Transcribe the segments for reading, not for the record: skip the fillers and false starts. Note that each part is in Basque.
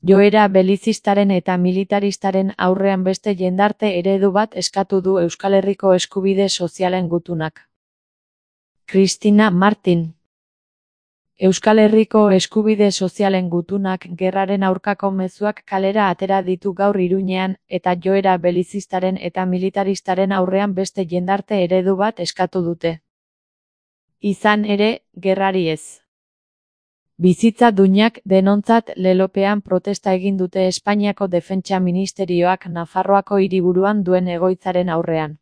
Joera belizistaren eta militaristaren aurrean beste jendarte eredu bat eskatu du Euskal Herriko eskubide sozialen gutunak. Cristina Martin. Euskal Herriko eskubide sozialen gutunak gerraren aurkako mezuak kalera atera ditu gaur Iruñean eta joera belizistaren eta militaristaren aurrean beste jendarte eredu bat eskatu dute. Izan ere, gerrari ez. Bizitza duinak denontzat lelopean protesta egin dute Espainiako Defentsa Ministerioak Nafarroako hiriburuan duen egoitzaren aurrean.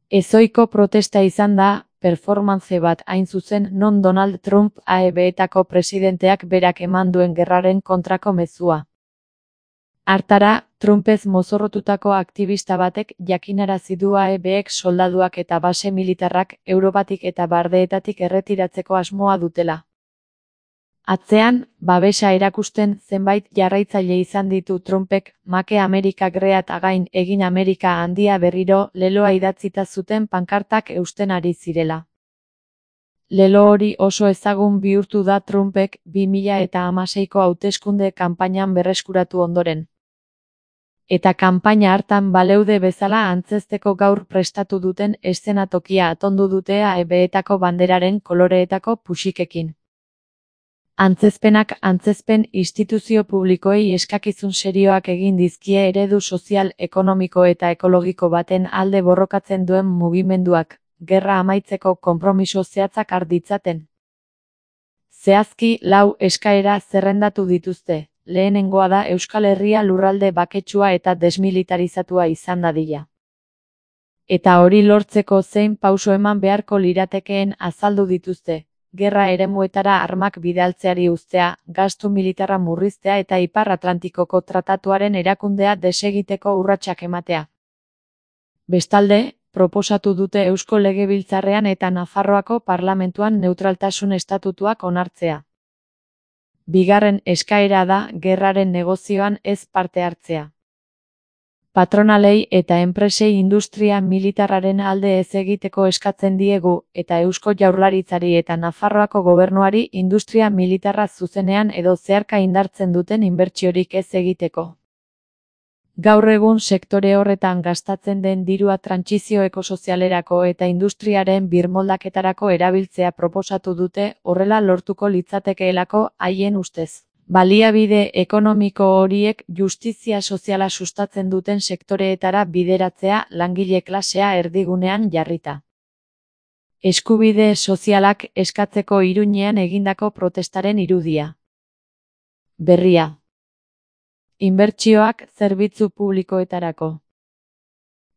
Ezohiko protesta izan da, performance bat hain zuzen non Donald Trump AEB-etako presidenteak berak eman duen gerraren kontrako mezua. Hartara, Trumpez mozorrotutako aktivista batek jakinarazi du AEB-ek soldaduak eta base militarrak Europatik eta bardeetatik erretiratzeko asmoa dutela. Atzean, babesa erakusten zenbait jarraitzaile izan ditu Trumpek, Make Amerika Great Again egin Amerika handia berriro leloa idatzita zuten pankartak eusten ari zirela. Lelo hori oso ezagun bihurtu da Trumpek 2016ko hauteskunde kanpainan berreskuratu ondoren. Eta kanpaina hartan baleude bezala antzezteko gaur prestatu duten eszenatokia atondu dute AEB-etako banderaren koloreetako puxikekin. Antzezpenak antzezpen instituzio publikoei eskakizun serioak egin dizkie eredu sozial, ekonomiko eta ekologiko baten alde borrokatzen duen mugimenduak, gerra amaitzeko konpromiso zehatzak har ditzaten. Zehazki 4 eskaera zerrendatu dituzte, lehenengoa da Euskal Herria lurralde baketsua eta desmilitarizatua izan dadila. Eta hori lortzeko zein pauso eman beharko liratekeen azaldu dituzte. Gerra eremuetara armak bidaltzeari uztea, gastu militarra murriztea eta Ipar Atlantikoko tratatuaren erakundea desegiteko urratsak ematea. Bestalde, proposatu dute Eusko Legebiltzarrean eta Nafarroako Parlamentuan neutraltasun estatutuak onartzea. Bigarren eskaera da gerraren negozioan ez parte hartzea. Patronalei eta enpresei industria militarraren alde ez egiteko eskatzen diegu eta Eusko Jaurlaritzari eta Nafarroako gobernuari industria militarra zuzenean edo zeharka indartzen duten inbertsiorik ez egiteko. Gaur egun sektore horretan gastatzen den dirua trantsizio ekosozialerako eta industriaren birmoldaketarako erabiltzea proposatu dute, horrela lortuko litzatekeelako haien ustez. Baliabide ekonomiko horiek justizia soziala sustatzen duten sektoreetara bideratzea langile klasea erdigunean jarrita. Eskubide sozialak eskatzeko Iruñean egindako protestaren irudia. Berria. Inbertsioak zerbitzu publikoetarako.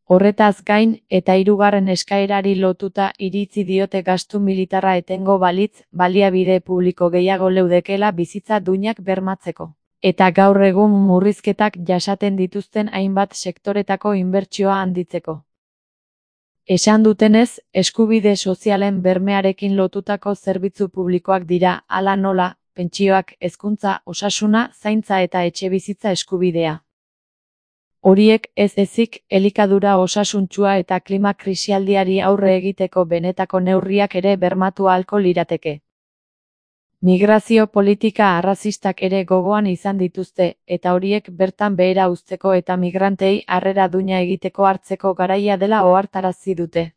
Horretaz gain eta hirugarren eskaerari lotuta iritzi diote gastu militarra etengo balitz, baliabide publiko gehiago leudekela bizitza duinak bermatzeko. Eta gaur egun murrizketak jasaten dituzten hainbat sektoretako inbertsioa handitzeko. Esan dutenez, eskubide sozialen bermearekin lotutako zerbitzu publikoak dira, hala nola, pentsioak, hezkuntza, osasuna, zaintza eta etxebizitza eskubidea. Horiek ez ezik, elikadura osasuntsua eta klima krisialdiari aurre egiteko benetako neurriak ere bermatu ahalko lirateke. Migrazio politika arrazistak ere gogoan izan dituzte, eta horiek bertan behera uzteko eta migrantei harrera duina egiteko hartzeko garaia dela ohartarazi dute.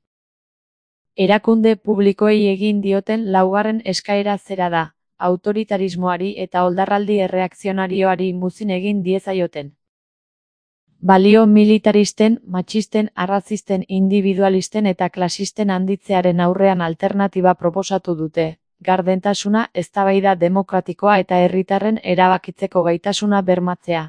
Erakunde publikoei egin dioten laugarren eskaera zera da, autoritarismoari eta oldarraldi erreakzionarioari muzin egin diezaioten. Balio militaristen, matxisten, arrazisten, individualisten eta klasisten handitzearen aurrean alternatiba proposatu dute, gardentasuna, eztabaida demokratikoa eta herritarren erabakitzeko gaitasuna bermatzea.